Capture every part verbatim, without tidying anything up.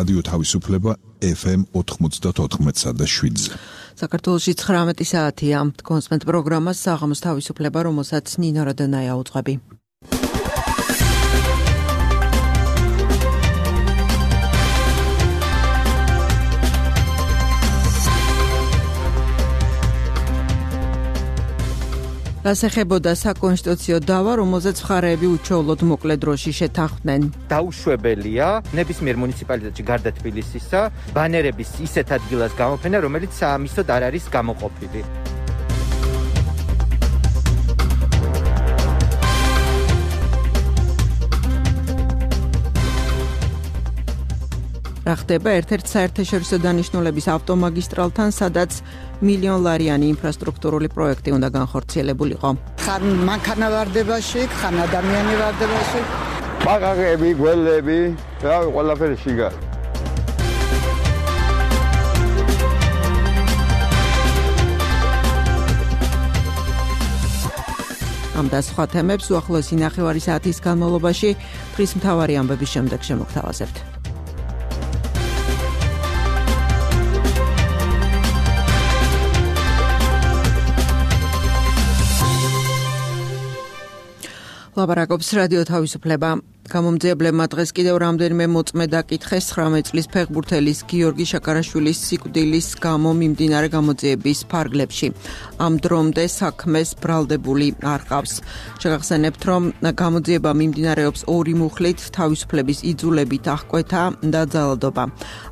რადიო თავისუფლება ეფ ემ ოთხმოცდაოთხ და შვიდზე. საქართველოში ცხრამეტი საათია. კონსმენტ პროგრამას საღამოს თავისუფლება, რომელსაც ნინო როდონაია უძღვები. ასახებოდა საკონსტიტუციო დავა, რომელზეც მხარეები უჩვეულოდ მოკლე დროში შეთანხმდნენ. დაუშვებელია ნებისმიერ მუნიციპალიტეტში გარდა თბილისისა ბანერების ისეთ ადგილას გამოფენა, რომელიც საამისოდ არ არის გამოყოფილი. რა ხდება ერთ-ერთ საერთაშორისო დანიშნულების ავტომაგისტრალთან, სადაც მილიონლარიანი ინფრასტრუქტურული პროექტი უნდა განხორციელებულიყო. ხან მანქანა ვარდებაში, ხან ადამიანი ვარდებაში. ბაღები, გველები, რავი, ყველაფერი შიგა. ამ და სხვა თემებს უახლოესი ნახევარი საათის განმავლობაში დღის მთავარი ამბების შემდეგ შემოგთავაზებთ. ლაპარაკობს რადიო თავისუფლება. გამომძიებლებმა დღეს კიდევ რამდენიმე მოწმე დაკითხეს ცხრამეტ წლის ფეხბურთელის გიორგი შაკარაშვილის სიკვდილის გამო მიმდინარე გამოძიების ფარგლებში. ამ დრომდე საქმეს ბრალდებული არ ყავს. შეგახსენებთ, რომ გამოძიება მიმდინარეობს ორი მუხლით, თავისუფლების იძულებით, აღკვეთა და ძალადობა.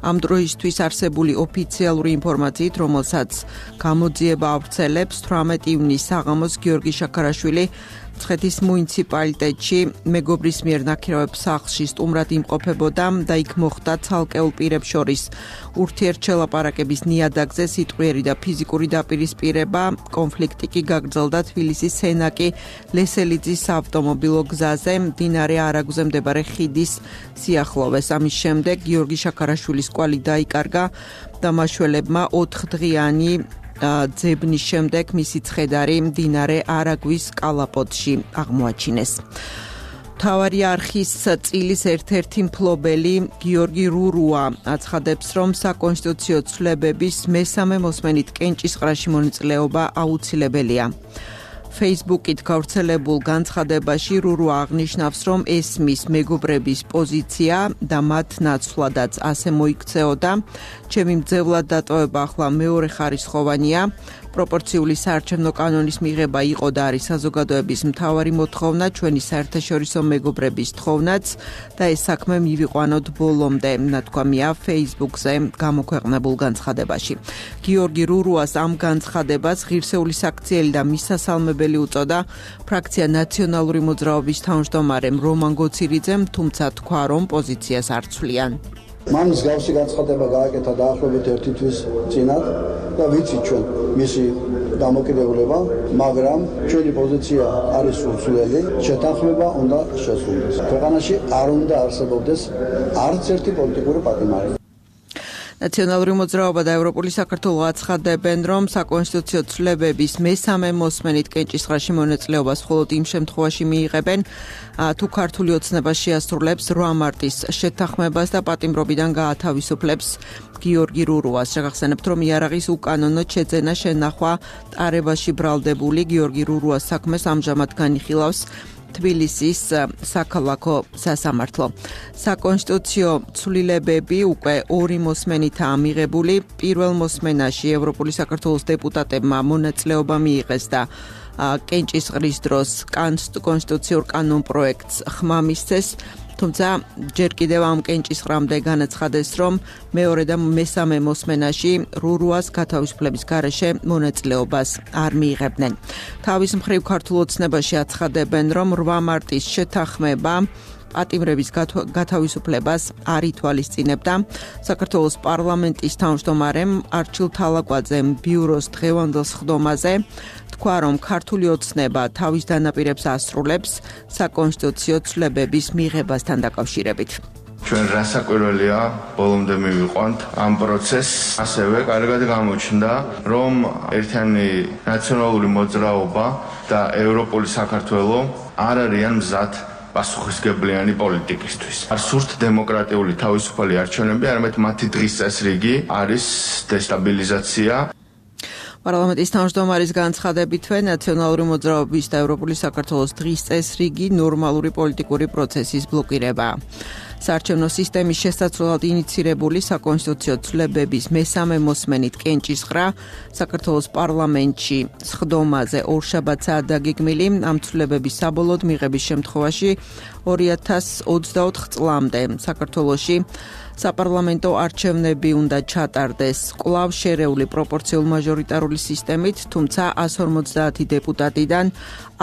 ამ დროისთვის არსებული ოფიციალური ინფორმაციით, რომელსაც გამოძიება ავრცელებს, თვრამეტი ივნისს საღამოს გიორგი შაკარაშვილი მცხეთის მუნიციპალიტეტში მეგობრის მიერ ნაქირავებს სახლში სტუმრად იმყოფებოდა და იქ მოხდა ცალკეულ პირებს შორის ურთიერთშელაპარაკების ნიადაგზე სიტყვიერი და ფიზიკური დაპირისპირება. კონფლიქტი კი გაგრძელდა თბილისის სენაკი ლესელიძის საავტომობილო გზაზე მდინარე არაგვზე მდებარე ხიდის სიახლოვეს. ამის შემდეგ გიორგი შაკარაშვილის კვალი დაიკარგა და მაშველებმა ოთხდღიანი ძებნის შემდეგ მისი ცხედარი მდინარე არაგვის კალაპოტში აღმოაჩინეს. მთავარი არხის წილის ერთ-ერთი მფლობელი გიორგი რურუა აცხადებს, რომ საკონსტიტუციო ცვლილებების მესამე მოსმენით კენჭისყრაში მონაწილეობა აუცილებელია. Facebook-ით გავრცელებულ განცხადებაში რურუა აღნიშნავს, რომ ესმის მეგობრების პოზიცია და მათ ნაცვლადაც ასე მოიქცეოდა. ჩემი მძევლად დატოვება ახლა მეორე ხარისხოვანია. პროპორციული საარჩევნო კანონის მიღება იყო და არის საზოგადოების მთავარი მოთხოვნა, ჩვენი საერთაშორისო მეგობრების თხოვნაც და ეს საქმე მივიყვანოთ ბოლომდე, ნათქვამია Facebook-ზე გამოქვეყნებულ განცხადებაში. გიორგი რურუას ამ განცხადებას ღირსეული საქციელი და მისასალმებელი უწოდა ფრაქცია ნაციონალური მოძრაობის თავმჯდომარემ რომან გოცირიძემ, თუმცა თქვა, რომ პოზიციას არ ცვლიან. მან მსგავსი განცხადება გააკეთა დაახლოებით ერთი თვის წინათ და ვიცით ჩვენ მისი დამოკიდებულება, მაგრამ ჩვენი პოზიცია არის უცვლელი, შეთანხმება უნდა შესრულდეს. ქვეყანაში არ უნდა არსებობდეს არც ერთი პოლიტიკური პატიმარი. ნაციონალური მოძრაობა და ევროპული საქართველო აცხადებენ, რომ საკონსტიტუციო ცვლილებების მესამე მოსმენით კენჭისყრაში მონაწილეობას მხოლოდ იმ შემთხვევაში მიიღებენ, თუ ქართული ოცნება შეასრულებს რვა მარტის შეთანხმებას და პატიმრობიდან გაათავისუფლებს გიორგი რურუას. შეგახსენებთ, რომ იარაღის უკანონოდ შეძენა შენახვა ტარებაში ბრალდებული გიორგი რურუას საქმეს ამჟამად განიხილავს თბილისის საქალაქო სასამართლო. საკონსტიტუციო ცვლილებები უკვე ორი მოსმენითაა მიღებული. პირველ მოსმენაში ევროპული საქართველოს დეპუტატებმა მონაწილეობა მიიღეს და კენჭისყრის დროს კონსტიტუციურ კანონ პროექტს ხმა მისცეს. თუმცა ჯერ კიდევ ამ კენჭისყრამდე განაცხადეს, რომ მეორე და მესამე მოსმენაში რურუას გათავისუფლების გარეშე მონაწილეობას არ მიიღებდნენ. თავის მხრივ ქართულ ოცნებაში აცხადებენ, რომ რვა მარტის შეთანხმება პატიმრების გათავისუფლებას არ ითვალისწინებდა. საქართველოს პარლამენტის თავმჯდომარემ არჩილ თალაკვაძემ ბიუროს დღევანდელ სხდომაზე თქვა, რომ ქართული ოცნება თავის დანაპირებს ასრულებს საკონსტიტუციო ცვლილებების მიღებასთან დაკავშირებით. ჩვენ რასაკვირველია ბოლომდე მივიყვანთ ამ პროცესს. ასევე კარგად გამოჩნდა, რომ ერთიანი ნაციონალური მოძრაობა და ევროპული საქართველო არ არიან მზად პასუხისმგებლიანი პოლიტიკისთვის. არ სურთ დემოკრატიული თავისუფალი არჩევნები, არამედ მათი დღის წესრიგი არის დესტაბილიზაცია. პარლამენტის თავმჯდომარის განცხადებითვე ნაციონალური მოძრაობის და ევროპული საქართველოს დღის წესრიგი ნორმალური პოლიტიკური პროცესის ბლოკირება. საარჩევნო სისტემის შესაცვლელად ინიცირებული საკონსტიტუციო ცვლილებების მესამე მოსმენით კენჭისყრა საქართველოს პარლამენტში სხდომაზე ორშაბათსაა დაგეგმილი. ამ ცვლილებების საბოლოოდ მიღების შემთხვევაში ორი ათას ოცდაოთხ წლამდე საქართველოში საპარლამენტო არჩევნები უნდა ჩატარდეს კვლავ შერეული პროპორციულ მაჟორიტარული სისტემით, თუმცა ასი ორმოცდაათი დეპუტატიდან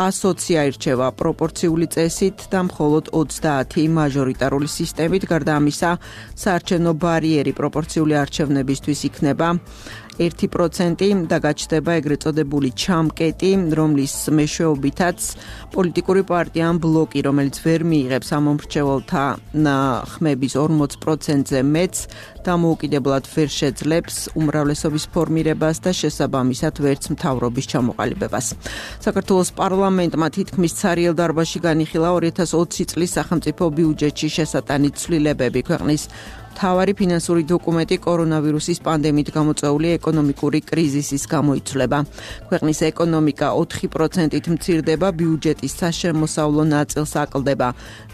ასი აირჩევა პროპორციული წესით და მხოლოდ ოცდაათი მაჟორიტარული სისტემით. გარდა ამისა, საარჩევნო ბარიერი პროპორციული არჩევნებისთვის იქნება ერთი პროცენტი და გაჩნდება ეგრეთ წოდებული ჩამკეტი, რომლის მეშვეობითაც პოლიტიკური პარტია ან ბლოკი, რომელიც ვერ მიიღებს ამომრჩეველთა ხმების ორმოც პროცენტზე მეც, დამოუკიდებლად ვერ შეძლებს უმრავლესობის ფორმირებას და შესაბამისად ვერც მთავრობის ჩამოყალიბებას. საქართველოს პარლამენტმა თითქმის ცარიელ დარბაზში განიხილა ორი ათას ოცი წლის სახელმწიფო ბიუჯეტში შესატანი ცვლილებები. ქვეყნის მთავარი ფინანსური დოკუმენტი კორონავირუსის პანდემიით გამოწვეული ეკონომიკური კრიზისის გამო იცვლება. ქვეყნის ეკონომიკა ოთხი პროცენტით მცირდება, ბიუჯეტის საშემოსავლო ნაწილს აკლდება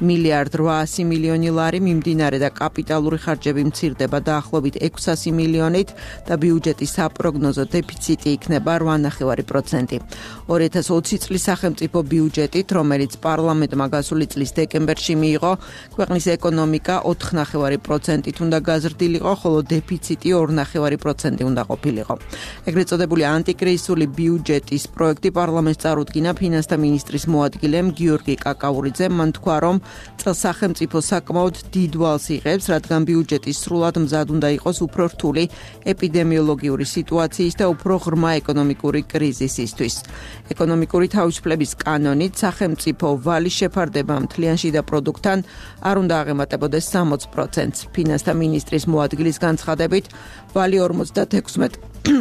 მილიარდ რვაასი მილიონი ლარი, მიმდინარე და კაპიტალური ხარჯები მცირდება დაახლოებით ექვსასი მილიონით და ბიუჯეტის საპროგნოზო დეფიციტი იქნება რვა ნახევარი პროცენტი. ორი ათას ოცი წლის სახელმწიფო ბიუჯეტით, რომელიც პარლამენტმა გასული წლის დეკემბერში მიიღო, ქვეყნის ეკონომიკა ოთხ ნახევარი პროცენტით უნდა გაზრდილიყო, ხოლო დეფიციტი ორი ნახევარი პროცენტი უნდა ყოფილიყო. ეგრეთ წოდებული ანტიკრიზისული ბიუჯეტის პროექტი პარლამენტს წარუდგინა ფინანსთა მინისტრის მოადგილემ გიორგი კაკაურიძემ. მან თქვა, რომ წელს სახელმწიფო საკმაოდ დიდ ვალს იღებს, რადგან ბიუჯეტი სრულად მზად უნდა იყოს უფრო რთული ეპიდემიოლოგიური სიტუაციის და უფრო ღრმა ეკონომიკური კრიზისისთვის. ეკონომიკური თავისუფლების კანონით სახელმწიფო ვალის შეფარდება მთლიან შიდა პროდუქტთან არ უნდა აღემატებოდეს სამოც პროცენტს. ფინანსთა მინისტრის მოადგილის განცხადებით, ვალი ორმოცდაექვსმეტ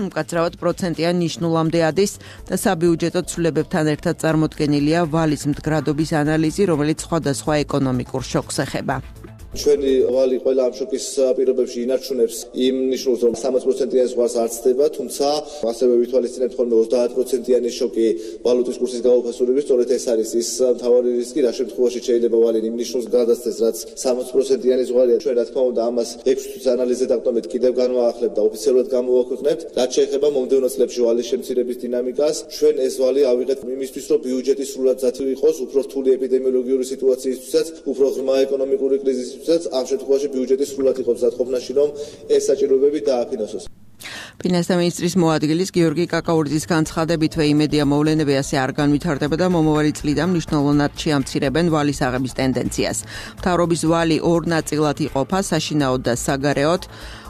მკაცრავად პროცენტიან ნიშნულამდე ადის და საბიუჯეტო ცვლილებებთან ერთად წარმოდგენილია ვალის მდგრადობის ანალიზი, რომელიც სხვადასხვა ეკონომიკურ შოკს ეხება. ჩვენი ვალი ყველა ამ შოკის პირობებში ინარჩუნებს იმ ნიშნულს, რომ სამოც პროცენტიანი ზღვარს არ ცდება, თუმცა ასევე ვითვალისწინებთ ხოლმე ოცდაათ პროცენტიანი შოკი ვალუტის კურსის გამოფასურების, სწორედ ეს არის ის მთავარი რისკი, რა შემთხვევაში შეიძლება ვალი იმ ნიშნულს გადასცეს, რაც სამოც პროცენტიანი ზღვარია. ჩვენ რა თქმა უნდა ამას ექვსი თვის ანალიზზე დაყრდნობით კიდევ განვაახლებ და ოფიციალურად გამოვაქვეყნებთ. რაც შეეხება მომდევნო წლებში ვალის შემცირების დინამიკას, ჩვენ ეს ვალი ავიღეთ იმისთვის, რომ ბიუჯეტი სრულად მზად იყოს, უფრო რთული ეპიდემიოლოგიური სიტუაციისთვისაც, უფრო ღრმა ეკონომიკური კრიზისის ამ შემთხვევაში ბიუჯეტი სრულად იყო მზადყოფნაში, რომ ეს საჭიროებები დააფინანსოს. ფინანსთა მინისტრის მოადგილის გიორგი კაკაურიძის განცხადებითვე იმედია მოვლენები ასე არ განვითარდება და მომავალი წლიდან მნიშვნელოვნად შეამცირებენ ვალის აღების ტენდენციას. მთავრობის ვალი ორ ნაწილად იყოფა, საშინაოდ და საგარეოდ.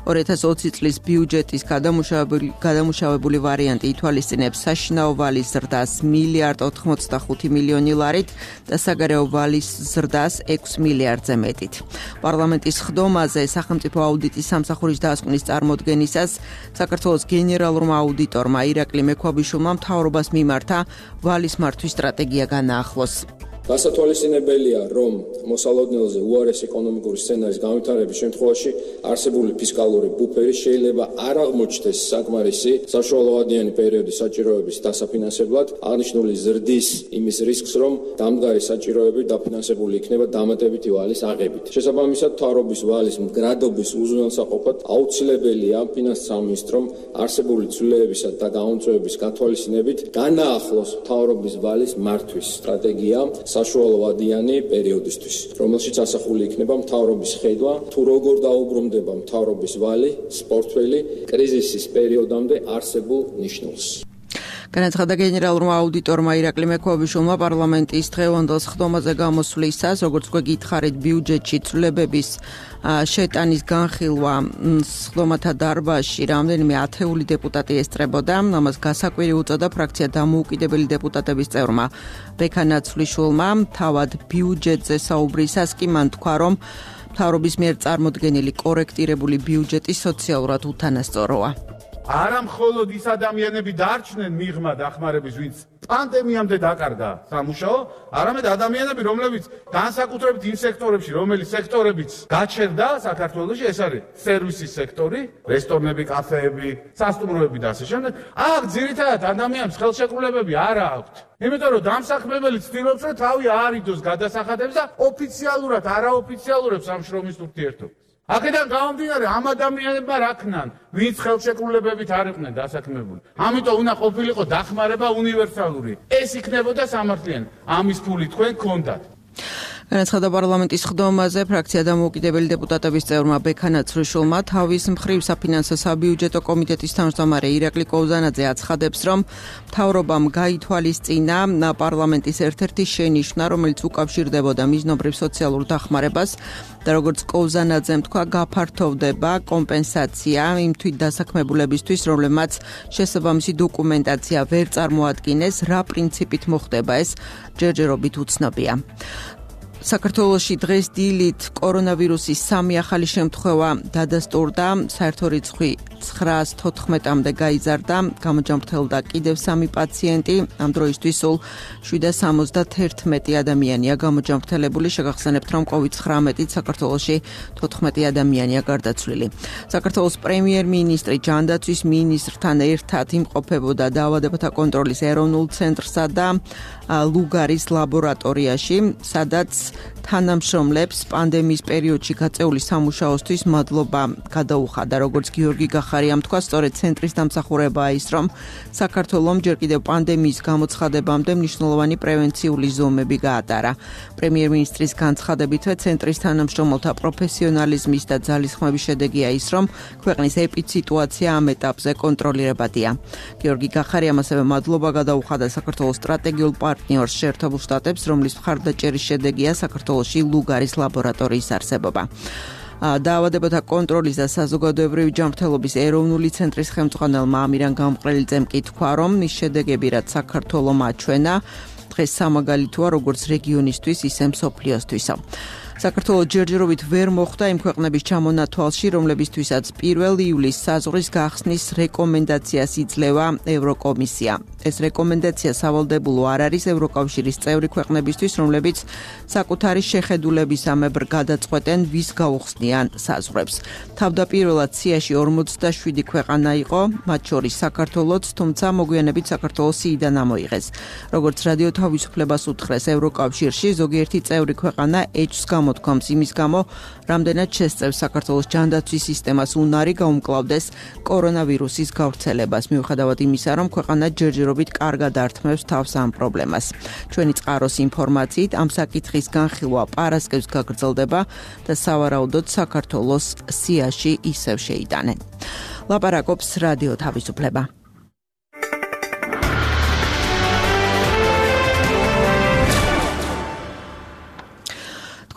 ორი ათას ოცი წლის ბიუჯეტის გადამუშავებული, გადამუშავებული ვარიანტი ითვალისწინებს საშინაო ვალის ზრდას მილიარდ ოთხმოცდახუთი მილიონი ლარით და საგარეო ვალის ზრდას ექვსი მილიარდზე მეტით. პარლამენტის სხდომაზე სახელმწიფო აუდიტის სამსახურის დაასკვნის წარმოდგენისას საქართველოს გენერალურმა აუდიტორმა ირაკლი მექვაბიშვილმა მთავრობას მიმართა ვალის მართვის სტრატეგია განაახლოს. გასათვალისწინებელია, რომ მოსალოდნელზე უარეს ეკონომიკური სცენარის განვითარების შემთხვევაში არსებული ფისკალური ბუფერი შეიძლება არ აღმოჩნდეს საკმარისი საშუალოვადიანი პერიოდის საჭიროების დასაფინანსებლად, აღნიშნული ზრდის იმის რისკს, რომ დამდგარი საჭიროები დაფინანსებული იქნება დამატებითი ვალის აღებით. შესაბამისად, მთავრობის ვალის მდგრადობის უზრუნველსაყოფად აუცილებელია ფინანსთა სამინისტრომ არსებული ცვლილებებისა და გამომწვევების გათვალისწინებით განაახლოს მთავრობის ვალის მართვის სტრატეგია საშუალოვადიანი პერიოდისთვის, რომელშიც ასახული იქნება მთავრობის ხედვა, თუ როგორ დაუბრუნდება მთავრობის ვალი, პორტფელი კრიზისის პერიოდამდე არსებულ ნიშნულს. განაცხადა გენერალურმა აუდიტორმა ირაკლი მექვაბიშვილმა პარლამენტის დღევანდელ სხდომაზე გამოსვლისას, როგორც გვეკითხარით, ბიუჯეტში ცვლილებების შეტანის განხილვა სხდომათა დარბაზში რამდენიმე ათეული დეპუტატი ესწრებოდა. ამას გასაკვირი უწოდა ფრაქცია დამოუკიდებელი დეპუტატების წევრმა ბექა ნაცვლიშვილმა. თავად ბიუჯეტზე საუბრისას კი მან თქვა, რომ მთავრობის მიერ წარმოდგენილი კორექტირებული ბიუჯეტი სოციალურად უთანასწოროა. არა მხოლოდ ის ადამიანები დარჩნენ მიღმა დახმარების, ვინც პანდემიამდე დაკარგა სამუშაო, არამედ ადამიანები, რომლებიც განსაკუთრებით იმ სექტორებში, რომელიც სექტორებიც გაჩერდა საქართველოში, ეს არის სერვისის სექტორი, რესტორნები, კაფეები, სასტუმროები და ასე შემდეგ. აქ ძირითადად ადამიანებს ხელშეკრულებები არ აქვთ. იმიტომ რომ დამსაქმებელი ცდილობს, რომ თავი აარიდოს გადასახადებს და ოფიციალურად, არაოფიციალურებს ამ შრომის ურთიერთობას. აქედან გამომდინარე, ამ ადამიანებმა რა ქნან, ვინც ხელშეკრულებებით არ იყვნენ დასაქმებული. ამიტომ უნდა ყოფილიყო დახმარება უნივერსალური. ეს იქნებოდა სამართლიანი. ამის ფული თქვენ გქონდათ. განაცხადა პარლამენტის ხდომაზე ფრაქცია დამოუკიდებელი დეპუტატების წევრმა ბექა ნაცრიშვილმა. თავის მხრივ საფინანსო საბიუჯეტო კომიტეტის თავმჯდომარე ირაკლი კოვზანაძე აცხადებს, რომ მთავრობამ გაითვალისწინა პარლამენტის ერთ-ერთი შენიშვნა, რომელიც უკავშირდებოდა მიზნობრივ სოციალურ დახმარებას და როგორც კოვზანაძემ თქვა, გაფართოვდება კომპენსაცია იმ თვით დასაქმებულებისთვის, რომლებმაც შესაბამისი დოკუმენტაცია ვერ წარმოადგინეს, რა პრინციპით მოხდება ეს, ჯერჯერობით უცნობია. საქართველოში დღეს დილით კორონავირუსის სამი ახალი შემთხვევა დადასტურდა, საერთო რიცხვი ცხრაას თოთხმეტამდე გაიზარდა, გამოჯამრთელდა კიდევ სამი პაციენტი, ამ დროისთვის სულ შვიდას სამოცდაერთი ადამიანია გამოჯამრთელებული, შეგახსენებთ, რომ კოვიდ ცხრამეტით საქართველოში თოთხმეტი ადამიანია გარდაცვლილი. საქართველოს პრემიერ-მინისტრი ჯანდაცვის მინისტრთან ერთად იმყოფებოდა დაავადებათა კონტროლის ეროვნულ ცენტრსა და ლუგარის ლაბორატორიაში, სადაც თანამშრომლებს პანდემიის პერიოდში გაწეული სამუშაოსთვის მადლობა გადაუხადა, როგორც გიორგი გახარიამ თქვა, სწორედ ცენტრის დამსახურებაა ის, რომ საქართველომ ჯერ კიდევ პანდემიის გამოცხადებამდე მნიშვნელოვანი პრევენციული ზომები გაატარა. პრემიერ-მინისტრის განცხადებითვე ცენტრის თანამშრომელთა პროფესიონალიზმის და ძალისხმევის შედეგია ის, რომ ქვეყნის ეპიდსიტუაცია ამ ეტაპზე კონტროლირებადია. გიორგი გახარიამ ასევე მადლობა გადაუხადა საქართველოს სტრატეგიულ პარტნიორს შეერთებულ შტატებს, რომლის მხარდაჭერის შედეგია საქართველოში ლუგარის ლაბორატორიის არსებობა. დაავადებათა კონტროლის და საზოგადოებრივი ჯანმრთელობის ეროვნული ცენტრის ხელმძღვანელმა ამირან გამყრელიძემ კი თქვა, რომ ის შედეგები, რაც საქართველომ აჩვენა, დღეს სამაგალითოა როგორც რეგიონისთვის, ისე მსოფლიოსთვისა. საქართველოს ჯერჯერობით ვერ მოხვდა იმ ქვეყნების ჩამონათვალში, რომლებისთვისაც პირველ ივლისს საზღვრის გახსნის რეკომენდაციას იძლევა ევროკომისია. ეს რეკომენდაცია სავალდებულო არ არის ევროკავშირის წევრი ქვეყნებისთვის, რომლებიც საკუთარი შეხედულებისამებრ გადაწყვეტენ, ვის გაუხსნიან საზღვრებს. თავდაპირველად სიაში ორმოცდაშვიდი ქვეყანა იყო, მათ შორის საქართველოც, თუმცა მოგვიანებით საქართველოს სიიდან ამოიღეს. როგორც რადიო თავისუფლებას უთხრეს ევროკავშირში, ზოგიერთი წევრი ქვეყანა ეჭვს გამოთქვამს იმის გამო, რამდენად შესწევს საქართველოს ჯანდაცვის სისტემას უნარი გაუმკლავდეს კორონავირუსის გავრცელებას, მიუხედავად იმისა, რომ ქვეყანა ჯერჯერობით კარგად ართმევს თავს ამ პრობლემას. ჩვენი წყაროს ინფორმაციით, ამ საკითხის განხილვა პარასკევს გაგრძელდება და სავარაუდოდ საქართველოს სიაში ისევ შეიტანენ. ლაპარაკობს რადიო თავისუფლება.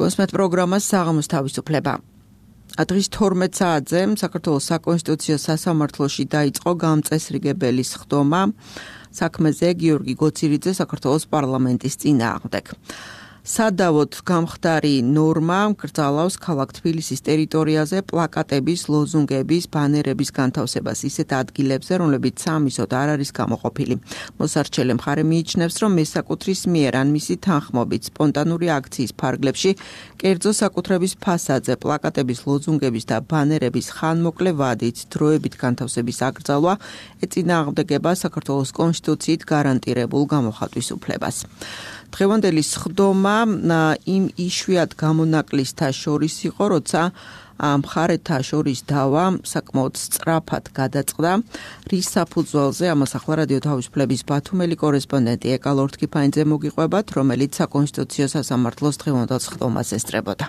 კონსმეთ პროგრამას საღამოს თავისუფლება. დღის თორმეტ საათზე საქართველოს საკონსტიტუციო სასამართლოში დაიწყო გამწესრიგებელის ხდომა საქმეზე გიორგი გოცირიძე საქართველოს პარლამენტის წინააღმდეგ. სადავოდ გამხდარი ნორმა გრძალავს ქალაქ თბილისის ტერიტორიაზე პლაკატების, ლოზუნგების, ბანერების განთავსებას ისეთ ადგილებზე, რომლებიც სამისოდ არ არის გამოყოფილი. მოსარჩელე მხარე მიიჩნევს, რომ მესაკუთრის მიერ ან მისი თანხმობით სპონტანური აქციის ფარგლებში კერძო საკუთრების ფასადზე პლაკატების, ლოზუნგების და ბანერების ხანმოკლე ვადით დროებით განთავსების აკრძალვა ეწინააღმდეგება საქართველოს კონსტიტუციით გარანტირებულ გამოხატვის უფლებას. დღევანდელი სხდომა იმ იშვიათ გამონაკლისთა შორის იყო, როცა მხარეთა შორის დავა საკმაოდ სწრაფად გადაწყდა, რის საფუძველზე ამას ახლა რადიო თავისუფლების ბათუმელი კორესპონდენტი ეკა ლორთქიფანიძე მოგიყვებათ, რომელიც საკონსტიტუციო სასამართლოს დღევანდელ სხდომას ესწრებოდა.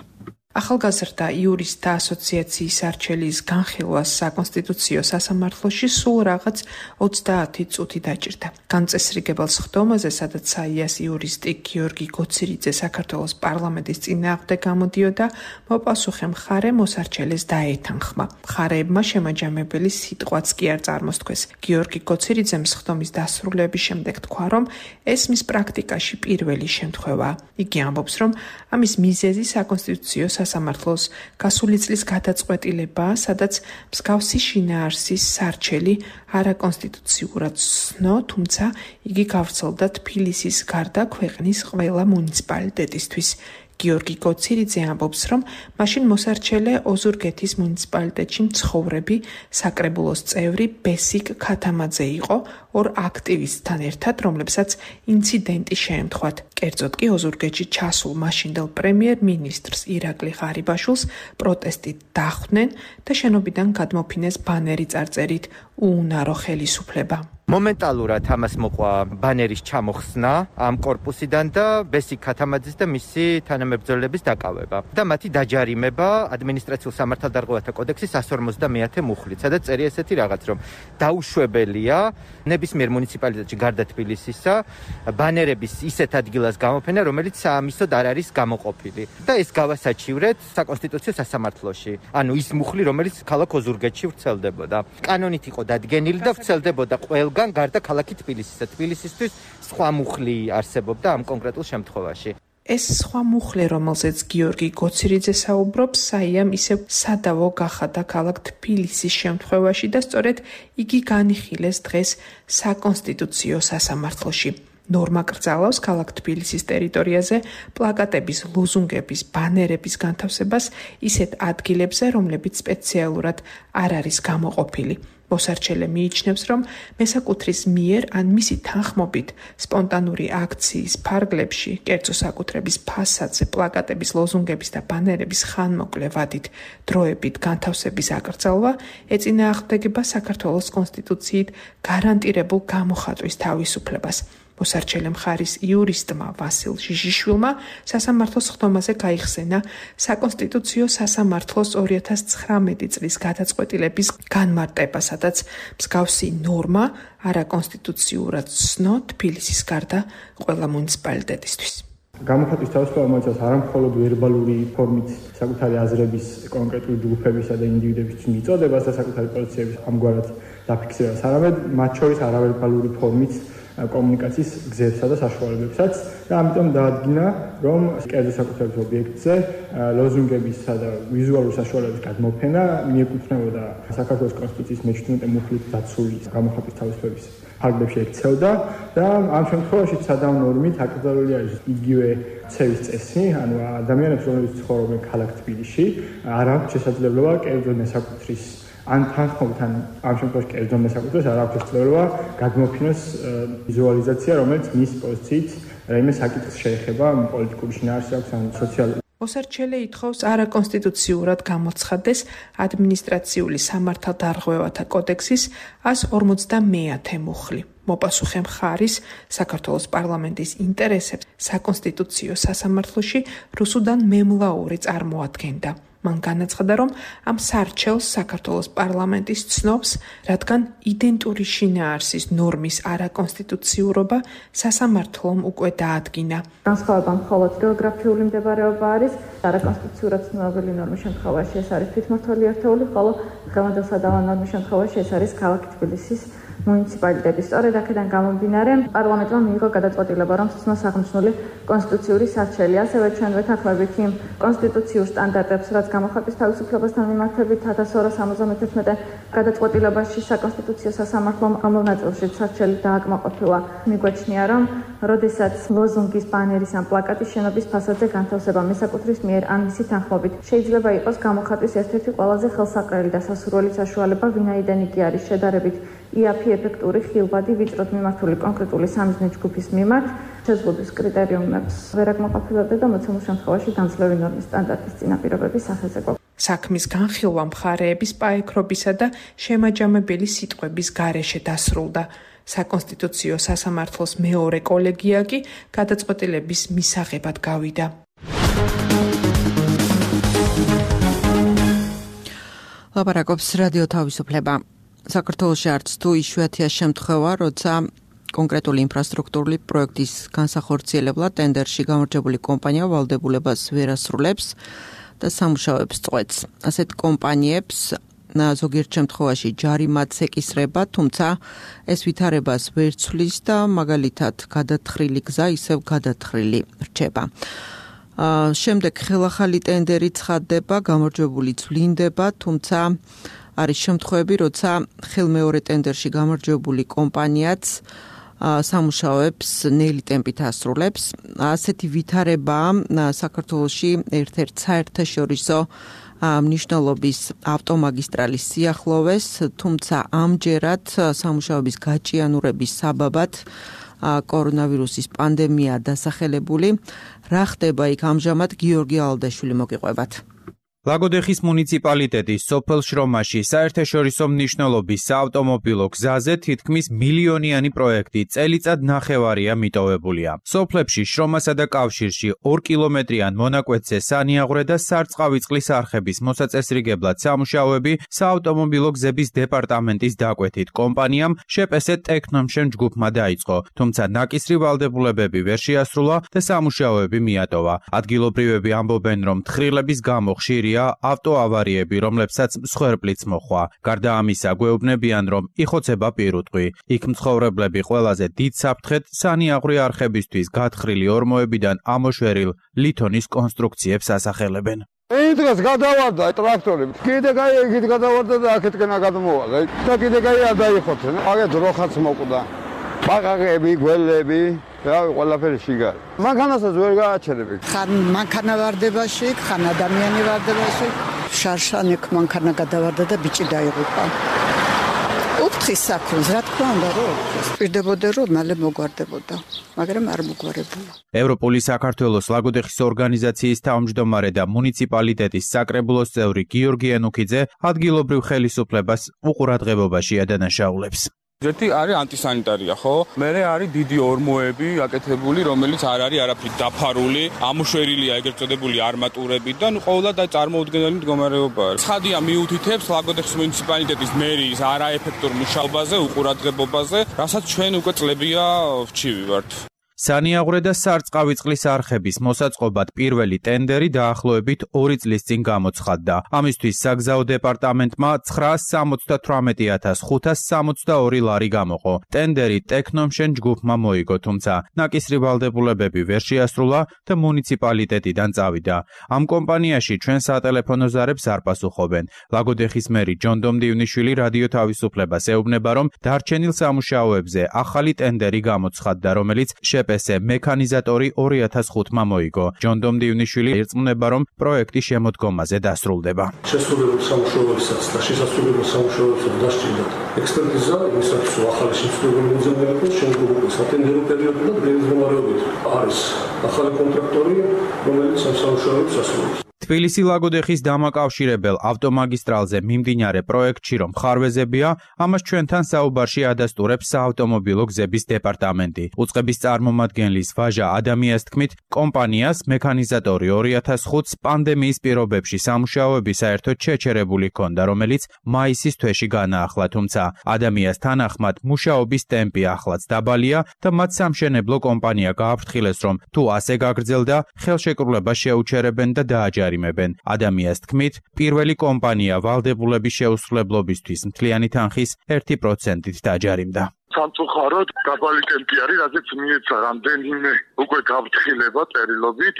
ახალგაზრდა იურისტთა ასოციაციის არჩელის განხილვას საკონსტიტუციო სასამართლოში სულ რაღაც ოცდაათი წუთი დაჭირდა. განწესრიგებელ სხდომაზე, სადაც საიას იურისტი გიორგი გოცირიძე საქართველოს პარლამენტის წინააღმდეგ გამოდიოდა, მოპასუხე მხარე მოსარჩელეს დაეთანხმა. მხარეებმა შემაჯამებელი სიტყვაც კი არ წარმოსთქვეს. გიორგი გოცირიძემ სხდომის დასრულების შემდეგ თქვა, რომ ეს მის პრაქტიკაში პირველი შემთხვევაა. იგი ამბობს, რომ ამის მიზეზი საკონსტიტუციო სასამართლოს გასული წლის გადაწყვეტილება, სადაც მსგავსი შინაარსის სარჩელი არაკონსტიტუციურად ცნო, თუმცა იგი გავრცელდა თბილისის გარდა ქვეყნის ყველა მუნიციპალიტეტისთვის. გიორგი გოცირიძე ამბობს, რომ მაშინ მოსარჩელე ოზურგეთის მუნიციპალიტეტში მცხოვრები საკრებულოს წევრი ბესიკ ქათამაძე იყო ორ აქტივისტთან ერთად, რომლებსაც ინციდენტი შეემთხვათ. კერძოდ კი ოზურგეთში ჩასულ მაშინდელ პრემიერ-მინისტრს ირაკლი ღარიბაშვილს პროტესტით დახვდნენ და შენობიდან გადმოფინეს ბანერი წარწერით უუნარო ხელისუფლება. მომენტალურად ამას მოყვა ბანერის ჩამოხსნა ამ კორპუსიდან და ბესიკ ქათამაძის და მისი თანამებრძოლების დაკავება და მათი დაჯარიმება ადმინისტრაციულ სამართალდარღვევათა კოდექსის εκατს ორმოცდამეათე მუხლით, სადაც წერია ესეთი რაღაც, რომ დაუშვებელია ნებისმიერ მუნიციპალიტეტში გარდა თბილისისა ბანერების ისეთ ადგილას გამოფენა, რომელიც საამისოდ არ არის გამოყოფილი და ეს გავასაჩივრეთ საკონსტიტუციო სასამართლოში. ანუ ის მუხლი, რომელიც ქალაქ ოზურგეთში ვრცელდებოდა. კანონით იყო დადგენილი და ვრცელდებოდა ყველგან გარდა ქალაქი თბილისისა. თბილისისთვის სხვა მუხლი არსებობდა ამ კონკრეტულ შემთხვევაში. ეს სხვა მუხლი, რომელზეც გიორგი გოცირიძე საუბრობს, საიამ ისევ სადავო გახადა ქალაქ თბილისის შემთხვევაში და სწორედ იგი განიხილეს დღეს საკონსტიტუციო სასამართლოში. ნორმა კრძალავს ქალაქ თბილისის ტერიტორიაზე პლაკატების, ლოზუნგების, ბანერების განთავსებას ისეთ ადგილებზე, რომლებიც სპეციალურად არ არის გამოყოფილი. მოსარჩელე მიიჩნევს, რომ მესაკუთრის მიერ ან მისი თანხმობით სპონტანური აქციის ფარგლებში, კერძო საკუთრების ფასადზე პლაკატების, ლოზუნგების და ბანერების ხანმოკლე ვადით დროებით განთავსების აკრძალვა ეწინააღმდეგება საქართველოს კონსტიტუციით გარანტირებულ გამოხატვის თავისუფლებას. მოსარჩელე მხარის იურისტმა ვასილ ჟიჟიშვილმა სასამართლოს ხდომაზე გაიხსენა საკონსტიტუციო სასამართლოს ორი ათას ცხრამეტი წლის გადაწყვეტილების განმარტება, სადაც მსგავსი ნორმა არაკონსტიტუციურად ცნო თბილისის გარდა ყველა მუნიციპალიტეტისთვის. გამოხატვის თავისუფლება მოიცავს არამხოლოდ ვერბალური ფორმით საკუთარი აზრების კონკრეტული ჯგუფებისა და ინდივიდების მიწოდებას და საკუთარი პოზიციების ამგვარად დაფიქსირებას, არამედ მათ შორის არავერბალური ფორმით კომუნიკაციის გზებსა და საშუალებებსაც და ამიტომ დაადგინა, რომ კერძო საკუთრების ობიექტზე ლოზუნგებისა და ვიზუალური საშუალებების გადმოფენა მიეკუთვნებოდა საქართველოს კონსტიტუციის მეჩვიდმეტე მუხლით დაცული გამოხატვის თავისუფლების ფარგლებში ექცეოდა და ამ შემთხვევაში სადავო ნორმით აკრძალული არის იგივე ცევის წესი, ანუ ადამიანებს, რომლებიც ცხოვრობენ ქალაქ თბილისში, არ აქვს შესაძლებლობა კერძო მესაკუთრის ან თანხმობით ან ამ შემთხვევაში კერძო მესაკუთრეს არ აქვს შესაძლებლობა გადმოფინოს ვიზუალიზაცია, რომელიც მის პოზიციით რაიმე საკითხს შეეხება, პოლიტიკური შინაარსი აქვს ან სოციალური. მოსარჩელე ითხოვს არაკონსტიტუციურად გამოცხადდეს ადმინისტრაციული სამართალდარღვევათა კოდექსის εκατს ორმოცდამეათე მუხლი. მოპასუხე მხარის საქართველოს პარლამენტის ინტერესებს საკონსტიტუციო სასამართლოში რუსუდან მემლაური წარმოადგენდა. მან განაცხადა, რომ ამ სარჩელს საქართველოს პარლამენტის ცნობს, რადგან იდენტური შინაარსის ნორმის არაკონსტიტუციურობა სასამართლომ უკვე დაადგინა. განსხვავება მხოლოდ გეოგრაფიული მდებარეობა არის, არაკონსტიტუციურად ცნობილი ნორმის შემთხვევაში ეს არის თვითმმართველი ერთეული, ხოლო დღევანდელ სადავო ნორმის შემთხვევაში ეს არის ქალაქ თბილისის მუნიციპალიტეტი. სწორედ აქედან გამომდინარე, პარლამენტმა მიიღო გადაწყვეტილება, რომ სცნოს აღნიშნული კონსტიტუციური სარჩელი. ასევე ჩვენ ვეთანხმებით იმ კონსტიტუციურ სტანდარტებს, რაც გამოხატვის თავისუფლებასთან მიმართებით ათას ორას სამოცდამეთერთმეტე გადაწყვეტილებაში საკონსტიტუციო სასამართლომ ამავე ნაწილში სარჩელი დააკმაყოფილა. მიგვაჩნია, რომ როდესაც ლოზუნგის, ბანერის ან პლაკატის შენობის ფასადზე განთავსება მესაკუთრის მიერ ან მისი თანხმობით შეიძლება იყოს გამოხატვის ერთ-ერთი ყველაზე ხელსაყრელი და სასურველი საშუალება, ვინაიდან იგი არის შედარებით იაფი, ეფექტური, ხილვადი, ვიწროდ მიმართული კონკრეტული სამიზნე ჯგუფის მიმართ, შეზღუდვის კრიტერიუმებს ვერ აკმაყოფილებდა და მოცემულ შემთხვევაში განძლევი ნორმის სტანდარტის წინაპირობების სახეზე ყოფილა. საქმის განხილვა მხარეების პაექრობისა და შემაჯამებელი სიტყვების გარეშე დასრულდა. საკონსტიტუციო სასამართლოს მეორე კოლეგია კი გადაწყვეტილების მისაღებად გავიდა. ლაპარაკობს რადიო თავისუფლება. საქართველოში არც თუ იშვიათია შემთხვევა, როცა კონკრეტული ინფრასტრუქტურული პროექტის განსახორციელებლად ტენდერში გამარჯვებული კომპანია ვალდებულებას ვერ ასრულებს და სამუშაოებს წყვეტს. ასეთ კომპანიებს ზოგიერთ შემთხვევაში ჯარიმაც ეკისრება, თუმცა ეს ვითარებას ვერ ცვლის და მაგალითად გადათხრილი გზა ისევ გადათხრილი რჩება. შემდეგ ხელახალი ტენდერი ცხადდება, გამარჯვებული ვლინდება, თუმცა არის შემთხვევები, როცა ხელმეორე ტენდერში გამარჯვებული კომპანიაც სამუშაოებს ნელი ტემპით ასრულებს. ასეთი ვითარება საქართველოში ერთ-ერთ საერთაშორისო მნიშვნელობის ავტომაგისტრალის სიახლოვეს, თუმცა ამჯერად სამუშაოების გაჭიანურების საბაბად კორონავირუსის პანდემია დასახელებული. რა ხდება იქ ამჟამად გიორგი ალდაშვილი მოგიყვებათ. ლაგოდეხის მუნიციპალიტეტის სოფელ შრომაში საერთაშორისო მნიშვნელობის საავტომობილო გზაზე თითქმის მილიონიანი პროექტი წელიწად ნახევარია მიტოვებულია. სოფლებში შრომასა და კავშირში ორ კილომეტრიან მონაკვეთზე სანიაღვრე და სარწყავი წყლის არხების მოსაწესრიგებლად სამუშაოები საავტომობილო გზების დეპარტამენტის დაკვეთით კომპანიამ შეპესე ტექნომშენ ჯგუფმა დაიწყო, თუმცა ნაკისრი ვალდებულებები ვერ შეასრულა და სამუშაოები მიატოვა. ადგილობრივები ამბობენ, რომ თხრილების გამო ხშირია ავტოავარიები, რომლებსაც მსხვერპლიც მოხვა. გარდა ამისა, გვეუბნებიან, რომ იხოცება პირუტყვი. იქ მცხოვრებლები ყველაზე დიდ საფრთხედ სანიაღვრე არხებისთვის გათხრილი ორმოებიდან ამოშვერილ ლითონის კონსტრუქციებს ასახელებენ. იმ დღეს გადავარდა ტრაქტორი. კიდე გაი იქით გადავარდა და აქეთკენა გადმოვალა. და კიდე გაი არ დაიხოცენ. აგეთ როხაც მოკვდა. ბაყაყები, გველები, რავი, ყველაფერი შიგარი. მანქანასაც ვერ გააჩერები. ხან მანქანა ვარდებაში, ხან ადამიანი ვარდებაში. შარშანეკ მანქანა გადავარდა და ბიჭი დაიღუპა. უფთხის საქმეს, რა თქმა უნდა, რომ პირდებოდა, რომ მალე მოგვარდებოდა, მაგრამ არ მოგვარებულა. ევროპული საქართველოს ლაგოდეხის ორგანიზაციის თავმჯდომარე და მუნიციპალიტეტის საკრებულოს წევრი გიორგი ენუქიძე ადგილობრივ ხელისუფლებას უყურადღებობაში ადანაშაულებს. ერთი არის ანტისანიტარია, ხო? მერე არის დიდი ორმოები აკეთებული, რომელიც არ არის არაფრით დაფარული, ამოშვერილია ეგრეთ წოდებული არმატურები და ნუ ყოველად წარმოუდგენელი მდგომარეობაა. ცხადია მიუთითებს ლაგოდეხის მუნიციპალიტეტის მერის არაეფექტურ მუშაობაზე, უყურადღებობაზე, რასაც ჩვენ უკვე წლებია ვჩივი ვართ. სანიაღვრე და სარწყავი წყლის არხების მოსაწყობად პირველი ტენდერი დაახლოებით ორი წლის წინ გამოცხადდა. ამისთვის საგზაო დეპარტამენტმა ცხრაას სამოცდათვრამეტი ათას ხუთას სამოცდაორი ლარი გამოყო. ტენდერი ტექნომშენ ჯგუფმა მოიგო, თუმცა ნაკისრი ვალდებულებები ვერ შეასრულა და მუნიციპალიტეტიდან წავიდა. ამ კომპანიაში ჩვენ სატელეფონო ზარებს არ პასუხობენ. ლაგოდეხის მერი ჯონდომ დივნიშვილი რადიო თავისუფლებას ეუბნება, რომ დარჩენილ სამუშაოებზე ახალი ტენდერი გამოცხადდა, რომელიც შეპესე მექანიზატორი ორი ათას ხუთმა მოიგო. ჯონდომ დივნიშვილი ერწმუნება, რომ პროექტი შემოდგომაზე დასრულდება. შესრულებულ სამუშაოებსაც და შესასრულებელ სამუშაოებსაც დასჭირდათ ექსპერტიზა, იმისათვის რომ ახალი შემსრულებელი მოძებნებელს შემდგომი სატენდერო პერიოდი და დღის მდგომარეობით არის ახალი კონტრაქტორი, რომელიც ამ სამუშაოებს ასრულებს. თბილისი ლაგოდეხის დამაკავშირებელ ავტომაგისტრალზე მიმდინარე პროექტში რომ ხარვეზებია, ამას ჩვენთან საუბარში ადასტურებს საავტომობილო გზების დეპარტამენტი. უწყების წარმომადგენლის ვაჟა ადამიანის თქმით, კომპანიას მექანიზატორი ორი ათას ხუთს პანდემიის პირობებში სამუშაოები საერთოდ შეჩერებული ჰქონდა, რომელიც მაისის თვეში განაახლა, თუმცა ადამიანის თანახმად მუშაობის ტემპი ახლაც დაბალია და მათ სამშენებლო კომპანია გააფრთხილეს, რომ თუ ასე გაგრძელდა, ხელშეკრულება შეუჩერებენ და დააჯერებენ. ადამიანის თქმით, პირველი კომპანია ვალდებულების შეუსრულებლობისთვის მთლიანი თანხის ერთი პროცენტით დაჯარიმდა. სამწუხაროდ დაბალი ტემპი არის, რაზეც მიეცა რამდენიმე უკვე გაფრთხილება წერილობით.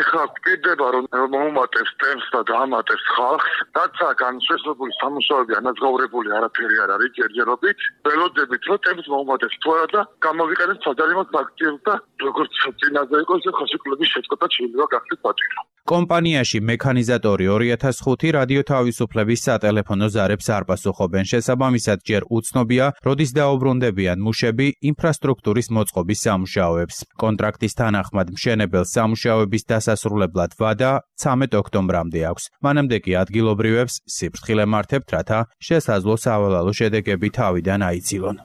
ეხლა გვპირდება, რომ მოუმატებს ტემპს და დაამატებს ხალხს, რაც განსხვავებული სამუშაოები ანაზღაურებული არაფერი არ არის ჯერჯერობით. ველოდებით, რომ ტემპს მოუმატებს თუ არა და გამოვიყენებს საჯარიმო სანქციებს და როგორც წინაზე იყო, ისე ხელშეკრულების შეწყვეტა შეიძლება გახდეს საჭირო. კომპანიაში მექანიზატორი ორი ათას ხუთი რადიო თავისუფლების სატელეფონო ზარებს არ პასუხობენ. შესაბამისად, ჯერ უცნობია, როდის დაუბრუნდებიან მუშები ინფრასტრუქტურის მოწყობის სამუშაოებს. კონტრაქტის თანახმად მშენებელს სამუშაოების დასასრულებლად ვადა ცამეტ ოქტომბრამდე აქვს. მანამდე კი ადგილობრივებს სიფრთხილე მართავთ, რათა შესაძლო სავალალო შედეგები თავიდან აიცილონ.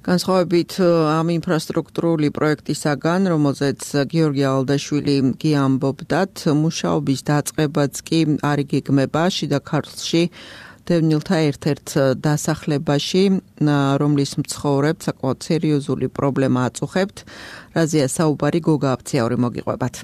განსხვავებით ამ ინფრასტრუქტურული პროექტისაგან, რომელზეც გიორგი ალდაშვილი გიამბობდათ, მუშაობის დაწყებაც კი არ იგეგმება შიდა ქართლში დევნილთა ერთ-ერთ დასახლებაში, რომლის მცხოვრებთ საკმაოდ სერიოზული პრობლემა აწუხებთ. რაზეა საუბარი გოგა აფციაური მოგიყვებათ.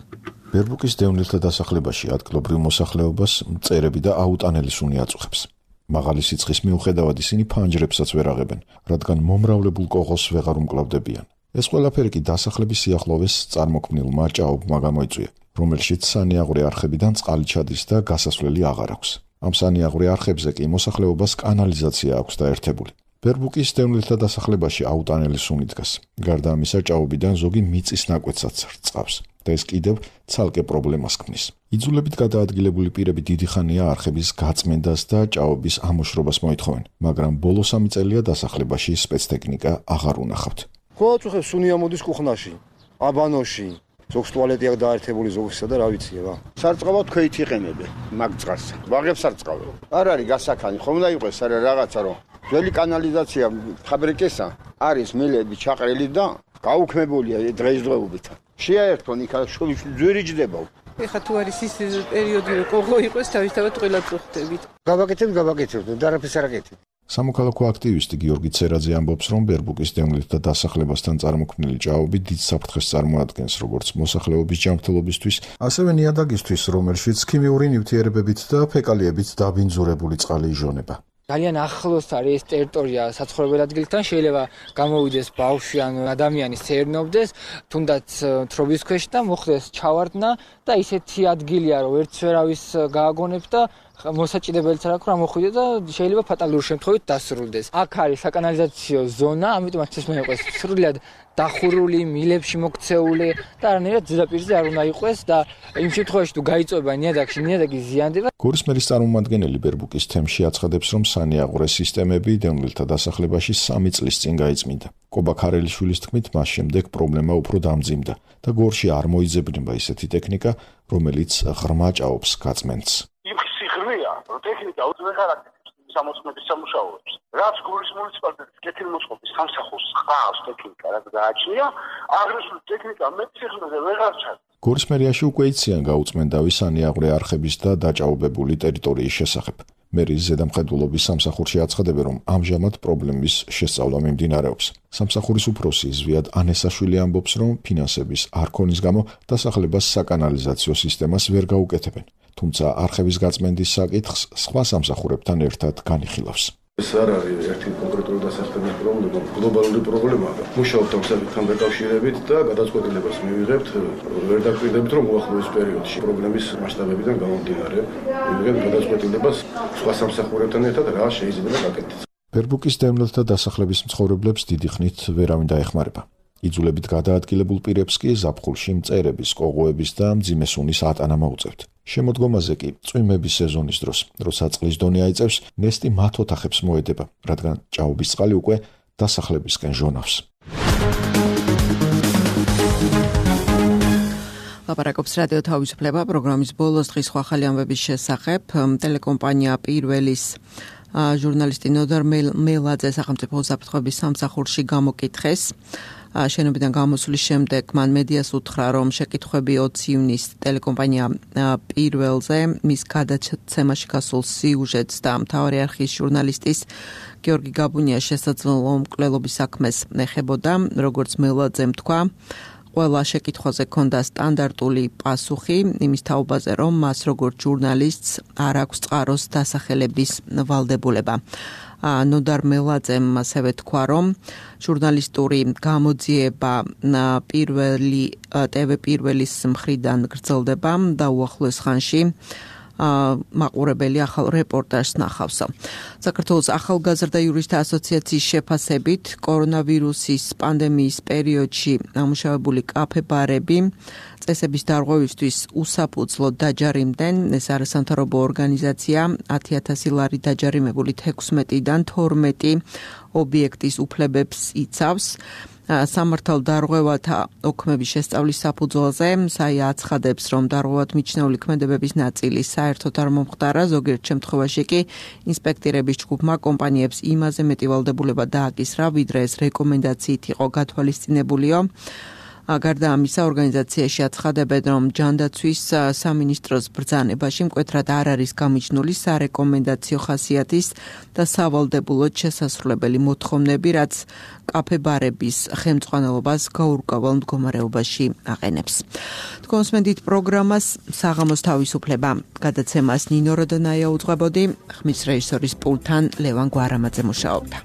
ბერბუკის დევნილთა დასახლებაში ადგილობრივ მოსახლეობას მწერები და აუტანელი სუნი აწუხებს. მაღალი სიცხის მიუხედავად ისინი ფანჯრებსაც ვერ აღებენ, რადგან მომრავლებულ კოღოს ვეღარ უმკლავდებიან. ეს ყველაფერი კი დასახლების სიახლოვეს წარმოქმნილმა ჭაობმა გამოიწვია, რომელშიც სანიაღვრე არხებიდან წყალი ჩადის და გასასვლელი აღარ აქვს. ამ სანიაღვრე არხებზე კი მოსახლეობას კანალიზაცია აქვს დაერთებული. ბერბუკის დევნილთა დასახლებაში აუტანელი სუნი დგას. გარდა ამისა, ჭაობიდან ზოგი მიწის ნაკვეთსაც რწყავს და ეს კიდევ ცალკე პრობლემას ქმნის. იძულებით გადაადგილებული პირები დიდი ხანია არხების გაწმენდას და ჭაობის ამოშრობას მოითხოვენ, მაგრამ ბოლო სამი წელია დასახლებაში სპეცტექნიკა აღარ უნახავთ. ყოველწუხებს სუნი ამოდის კუხნაში, აბანოში, ზოგს ტუალეტი აქვს დაერთებული ზოგისა და რა ვიცი ება. სარწყავად ქვეით იყენებენ მაგ წყალს. ვაღებს სარწყავენ. არ არის გასაქანი, ხომ უნდა იყოს არა რაღაცა რომ ძველი კანალიზაცია ფაბრიკისა არის მილები ჩაყრილი და გაუქმებულია დღესდღეობით. შეაერთონ იქ ძვირი ჯდება. ეხა თუ არის ის პერიოდი რომ ყოღო იყოს თავისთავად ყველა წუხდებით. გავაკეთებ, გავაკეთებ და არაფერს არ აკეთებ. სამოქალაქო აქტივისტი გიორგი ცერაძე ამბობს, რომ ბერბუკის დევნილთა დასახლებასთან წარმოქმნილი ჭაობი დიდ საფრთხეს წარმოადგენს როგორც მოსახლეობის ჯანმრთელობისთვის, ასევე ნიადაგისთვის, რომელშიც ქიმიური ნივთიერებებით და ფეკალიებით დაბინძურებული წყალი ижონება. ძალიან ახლოს არის ეს ტერიტორია საცხოვრებელ ადგილთან, შეიძლება გამოვიდეს ბავშვი ან ადამიანი სერნობდეს, თუნდაც თრობის ქვეშ და მოხდეს ჩავარდნა და ისეთი ადგილია, რომ ერთს ვერავის გააგონებ და მოსაჭიდებელიც არ აქვს რა მოხვიდე და შეიძლება ფატალური შემთხვევით დასრულდეს. აქ არის საკანალიზაციო ზონა, ამიტომაც ეს მეყოს სრულად დახურული, მილებში მოქცეული და არანაირად ზედაპირზე არ უნდა იყოს და იმ შემთხვევაში თუ გაიწვება ნიადაგში, ნიადაგი ზიანდება. გორის მერის წარმომადგენელი ბერბუკის თემში აცხადებს, რომ სანიაღვრე სისტემები დევნილთა დასახლებაში სამი წლის წინ გაიწმინდა. კობა ქარელიშვილის თქმით, მას შემდეგ პრობლემა უფრო დამძიმდა და გორში არ მოიძებნება ისეთი ტექნიკა, რომელიც ღრმა ჭაობს გაწმენდს. ტექნიკა უძვე ხარაკტერის სამოსმების სამუშაოებს. რაც გორის მუნიციპალიტეტის კეთილმოწყობის სამსახურს ხავს ტექნიკა, რაც გააჩნია, აღნიშნული ტექნიკა მეციხნაზე ვეღარ ჩადის. გორის მერიაში უკვე იციან გაუწმენდავი სანიაღვრე არხების და დაჭაობებული ტერიტორიის შესახებ. მერის ზედამხედველობის სამსახურში აცხადებენ, რომ ამჟამად პრობლემის შესწავლა მიმდინარეობს. სამსახურის უფროსი ზვიად ანესაშვილი ამბობს, რომ ფინანსების არ ქონის გამო დასახლებას საკანალიზაციო სისტემას ვერ გაუკეთებენ. თუმცა არხების გაწმენდის საკითხს სხვა სამსახურებთან ერთად განიხილავს. ეს არ არის ერთი კონკრეტული დასახლების პრობლემა, გლობალური პრობლემაა. მუშაობთ ამ საკითხთან დაკავშირებით და გადაწყვეტილებას მივიღებთ, ვერ დაკვირდებით, რომ უახლოეს პერიოდში პრობლემის მასშტაბებიდან გამომდინარე, მივიღებთ გადაწყვეტილებას სხვა სამსახურებთან ერთად რა შეიძლება გაკეთდეს. ბერბუკის დევნილთა დასახლების მცხოვრებლებს დიდი ხნით ვერავინ დაეხმარება. იძულებით გადაადგილებულ პირებს კი ზაფხულში მწერების, კოღოების და მძიმე სუნის ატანა მოუწევთ. შემოდგომაზე კი წვიმების სეზონის დროს, როცა წყლის დონე აიწევს, ნესტი მათ ოთახებს მოედება, რადგან ჭაობის წყალი უკვე დასახლებისკენ ჟონავს. ლაპარაკობს რადიო თავისუფლება პროგრამის ბოლოს დღის სხვა ხალი ამბების შესახებ. ტელეკომპანია პირველის ჟურნალისტი ნოდარ მელაძე სახელმწიფო უსაფრთხოების სამსახურში გამოკითხეს. შენობიდან გამოსვლის შემდეგ მან მედიას უთხრა, რომ შეკითხვები ოცი ივნისს ტელეკომპანია პირველზე მის გადაცემაში გასულ სიუჟეტს და მთავარი არხის ჟურნალისტის გიორგი გაბუნიას შესაძლო მკვლელობის საქმეს ეხებოდა, როგორც მელაძემ თქვა. ყველა შეკითხვაზე ჰქონდა სტანდარტული პასუხი იმის თაობაზე, რომ მას როგორც ჟურნალისტს არ აქვს წყაროს დასახელების ვალდებულება. ნოდარ მელაძემ ასევე თქვა, რომ ჟურნალისტური გამოძიება პირველი ტევ პირველის მხრიდან გრძელდება და უახლოეს ხანში მაყურებელი ახალ რეპორტაჟს ნახავსო. საქართველოს ახალგაზრდა იურისტთა ასოციაციის შეფასებით კორონავირუსის პანდემიის პერიოდში ამუშავებული კაფე-ბარები წესების დარღვევისთვის უსაფუძვლოდ დაჯარიმდნენ. ეს არასამთავრობო ორგანიზაცია ათი ათასი ლარი დაჯარიმებული თექვსმეტიდან თორმეტი ობიექტის უფლებებს იცავს. სამართალ დარღვევათა ოქმების შესწავლის საფუძველზე საია აცხადებს, რომ დარღვევად მიჩნეული ქმედებების ნაწილი საერთოდ არ მომხდარა, ზოგიერთ შემთხვევაში კი ინსპექტორების ჯგუფმა კომპანიებს იმაზე მეტი ვალდებულება დააკისრა, ვიდრე ეს რეკომენდაციით იყო გათვალისწინებულიო. გარდა ამისა, ორგანიზაციაში აცხადებენ, რომ ჯანდაცვის სამინისტროს ბრძანებაში მკვეთრად არ არის გამიჯნული სარეკომენდაციო ხასიათის და სავალდებულოდ შესასრულებელი მოთხოვნები, რაც კაფე-ბარების ხელმძღვანელობას გაურკვეველ მდგომარეობაში აყენებს. თქვენს მედით პროგრამას საღამოს თავისუფლება გადაცემას ნინო როდონაია უძღვებოდი, ხმის რეჟისორის პულტთან ლევან გვარამაძე მუშაობდა.